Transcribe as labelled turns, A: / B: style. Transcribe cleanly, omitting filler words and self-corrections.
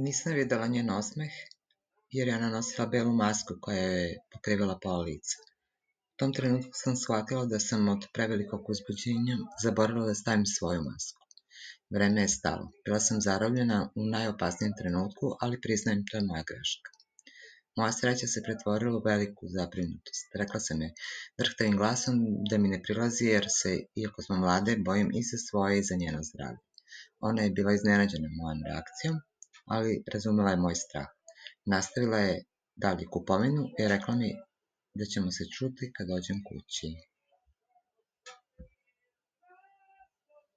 A: Nisam videla njen osmeh, jer je ona nosila belu masku koja je pokrivala pola lica. U tom trenutku sam shvatila da sam od prevelikog uzbuđenja zaboravila da stavim svoju masku. Vreme je stalo. Bila sam zarobljena u najopasnijem trenutku, ali priznajem, to je moja greška. Moja sreća se pretvorila u veliku zabrinutost. Rekla sam joj drhtavim glasom da mi ne prilazi jer se, iako smo mlade, bojim i za svoje i za njeno zdravlje. Ona je bila iznenađena mojom reakcijom, ali razumela je moj strah. Nastavila je dalje kupovinu i rekla mi da ćemo se čuti kad dođem kući.